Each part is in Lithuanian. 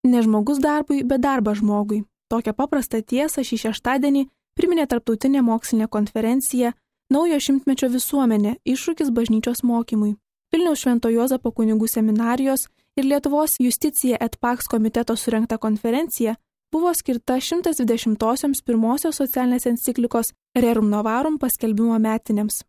Ne žmogus darbui, bet darbas žmogui. Tokią paprastą tiesą šį šeštadienį priminė tarptautinė mokslinė konferencija Naujo šimtmečio visuomenė – iššūkis bažnyčios mokymui. Vilniaus Švento Juozapo kunigų seminarijos ir Lietuvos Justicija et Pax komiteto surengta konferencija buvo skirta 120-osios pirmosios socialinės enciklikos Rerum Novarum paskelbimo metinėms.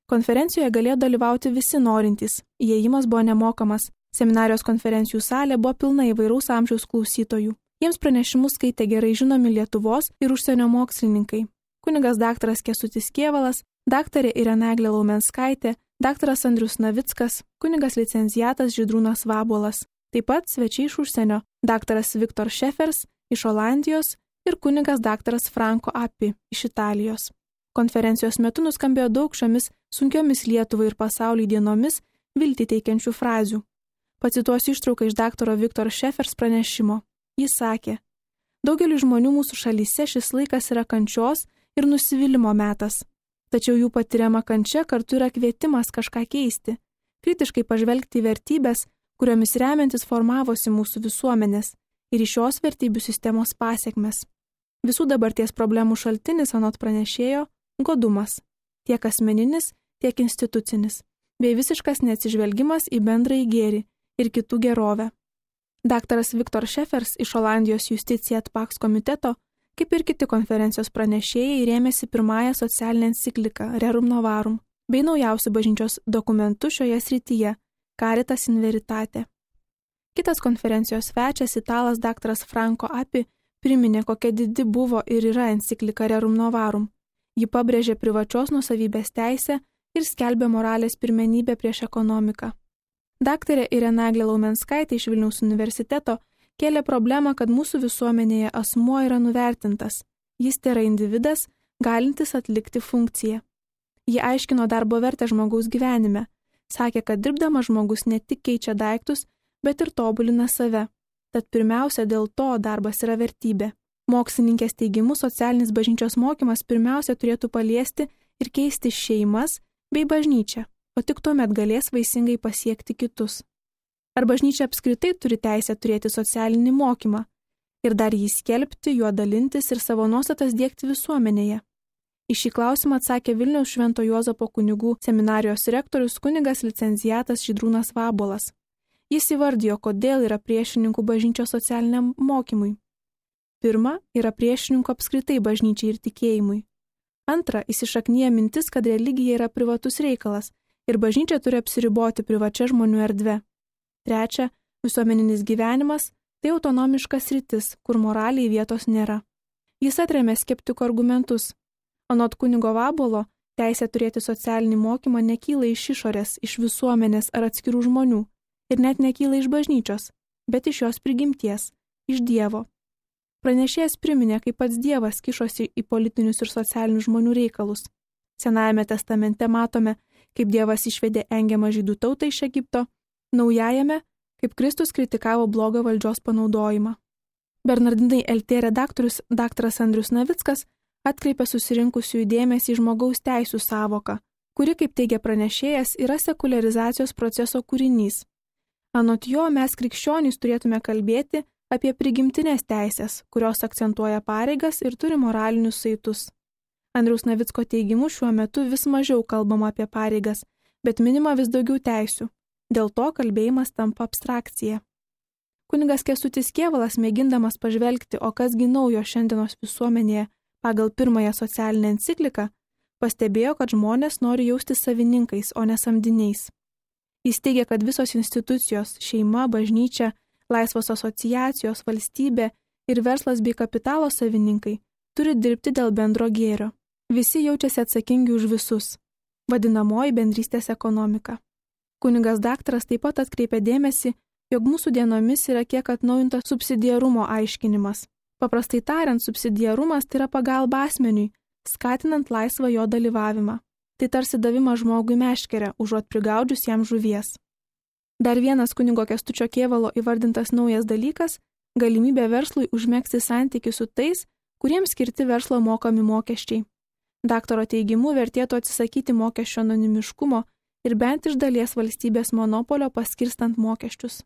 Konferencijoje galėjo dalyvauti visi norintys, įėjimas buvo nemokamas, seminarijos konferencijų salė buvo pilna įvairaus amžiaus klausytojų. Jiems pranešimus skaitė gerai žinomi Lietuvos ir užsienio mokslininkai. Kunigas daktaras Kęstutis Kėvalas, daktarė Irena Eglė Laumenskaitė, daktaras Andrius Navickas, kunigas licenciatas Žydrūnas Vabuolas. Taip pat svečiai iš užsienio, daktaras Viktor Šefers iš Olandijos ir kunigas daktaras Franco Appi iš Italijos. Konferencijos metu nuskambėjo daug šiomis sunkiomis Lietuvai ir pasauliui dienomis viltį teikiančių frazių. Pacituosiu ištrauką iš daktaro Viktor Šefers pranešimo. Jis sakė: daugeliu žmonių mūsų šalyse šis laikas yra kančios ir nusivylimo metas. Tačiau jų patiriama kančia kartu yra kvietimas kažką keisti, kritiškai pažvelgti į vertybės, kuriomis remiantis formavosi mūsų visuomenės ir į šios vertybių sistemos pasiekmes. Visų dabarties problemų šaltinis anot pranešėjo – godumas, tiek asmeninis, tiek institucinis, bei visiškas neatsižvelgimas į bendrąjį gėrį ir kitų gerovę. Daktaras Viktor Šefers iš Olandijos Justicija et Pax komiteto, kaip ir kiti konferencijos pranešėjai, rėmėsi pirmąją socialinę encikliką Rerum Novarum bei naujausių bažnyčios dokumentų šioje srityje Caritas in Veritate. Kitas konferencijos svečias, italas daktaras Franco Appi, priminė, kokia didi buvo ir yra enciklika Rerum Novarum. Ji pabrėžė privačios nuosavybės teisę ir skelbė moralės pirmenybę prieš ekonomiką. Daktarė Irena Eglė Laumenskaitė iš Vilniaus universiteto kėlė problemą, kad mūsų visuomenėje asmuo yra nuvertintas. Jis tėra individas, galintis atlikti funkciją. Ji aiškino darbo vertę žmogaus gyvenime. Sakė, kad dirbdamas žmogus ne tik keičia daiktus, bet ir tobulina save. Tad pirmiausia, dėl to darbas yra vertybė. Mokslininkės teigimu, socialinis bažnyčios mokymas pirmiausia turėtų paliesti ir keisti šeimas bei bažnyčią, o tik tuomet galės vaisingai pasiekti kitus. Ar bažnyčia apskritai turi teisę turėti socialinį mokymą ir dar jį skelbti, juo dalintis ir savo nuostatas diegti visuomenėje? Į šį klausimą atsakė Vilniaus Švento Juozapo kunigų seminarijos rektorius kunigas licenciatas Žydrūnas Vabuolas. Jis įvardijo, kodėl yra priešininkų bažnyčios socialiniam mokymui. Pirma, yra priešininkų apskritai bažnyčiai ir tikėjimui. Antra, įsišaknyja mintis, kad religija yra privatus reikalas ir bažnyčia turi apsiriboti privačia žmonių erdve. Trečia, visuomeninis gyvenimas – tai autonomiškas sritis, kur moraliai vietos nėra. Jis atremė skeptikų argumentus. Anot kunigo Vabuolo, teisė turėti socialinį mokymą nekyla iš išorės, iš visuomenės ar atskirų žmonių ir net nekyla iš bažnyčios, bet iš jos prigimties, iš Dievo. Pranešėjas priminė, kaip pats Dievas kišosi į politinius ir socialinius žmonių reikalus. Senajame testamente matome, kaip Dievas išvedė engiamą žydų tautą iš Egipto, Naujajame, kaip Kristus kritikavo blogą valdžios panaudojimą. Bernardinai LT redaktorius daktaras Andrius Navickas atkreipė susirinkusiųjų dėmesį į žmogaus teisų sąvoką, kuri, kaip teigia pranešėjas, yra sekuliarizacijos proceso kūrinys. Anot jo, mes krikščionys turėtume kalbėti apie prigimtinės teisės, kurios akcentuoja pareigas ir turi moralinius saitus. Andriaus Navicko teigimu šiuo metu vis mažiau kalbama apie pareigas, bet minima vis daugiau teisių. Dėl to kalbėjimas tampa abstrakcija. Kunigas Kęstutis Kėvalas, mėgindamas pažvelgti, o kasgi naujo šiandienos visuomenėje pagal pirmąją socialinę encikliką, pastebėjo, kad žmonės nori jaustis savininkais, o ne samdiniais. Jis teigia, kad visos institucijos – šeima, bažnyčia, laisvos asociacijos, valstybė ir verslas bei kapitalo savininkai – turi dirbti dėl bendro gėrio. Visi jaučiasi atsakingi už visus. Vadinamoji bendrystės ekonomika. Kunigas daktaras taip pat atkreipė dėmesį, jog mūsų dienomis yra kiek atnaujintas subsidiarumo aiškinimas. Paprastai tariant, subsidiarumas tai yra pagalba asmeniui, skatinant laisvą jo dalyvavimą. Tai tarsi davimas žmogui meškerę, užuot prigaudžius jam žuvies. Dar vienas kunigo Kęstučio Kėvalo įvardintas naujas dalykas – galimybė verslui užmegzti santykį su tais, kuriems skirti verslo mokami mokesčiai. Daktaro teigimu vertėtų atsisakyti mokesčio anonimiškumo ir bent iš dalies valstybės monopolio paskirstant mokesčius.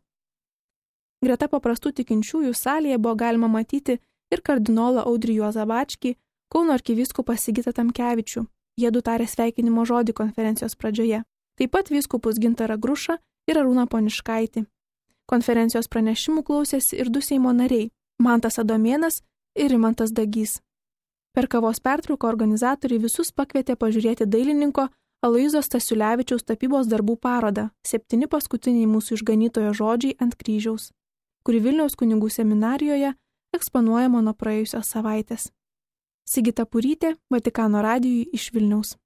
Greta paprastų tikinčiųjų salėje buvo galima matyti ir kardinolą Audrį Juozą Bačkį, Kauno arkivyskupą Sigitą Tamkevičių. Jiedu tarė sveikinimo žodį konferencijos pradžioje. Taip pat vyskupus Gintarą Grušą ir Arūną Poniškaitį. Konferencijos pranešimų klausėsi ir 2 Seimo nariai – Mantas Adomėnas ir Rimantas Dagys. Per kavos pertrauką organizatoriai visus pakvietė pažiūrėti dailininko Aloyzo Stasiulevičiaus tapybos darbų parodą 7 paskutiniai mūsų išganytojo žodžiai ant kryžiaus, kuri Vilniaus kunigų seminarijoje eksponuojama nuo praėjusios savaitės. Sigita Purytė, Vatikano radijui iš Vilniaus.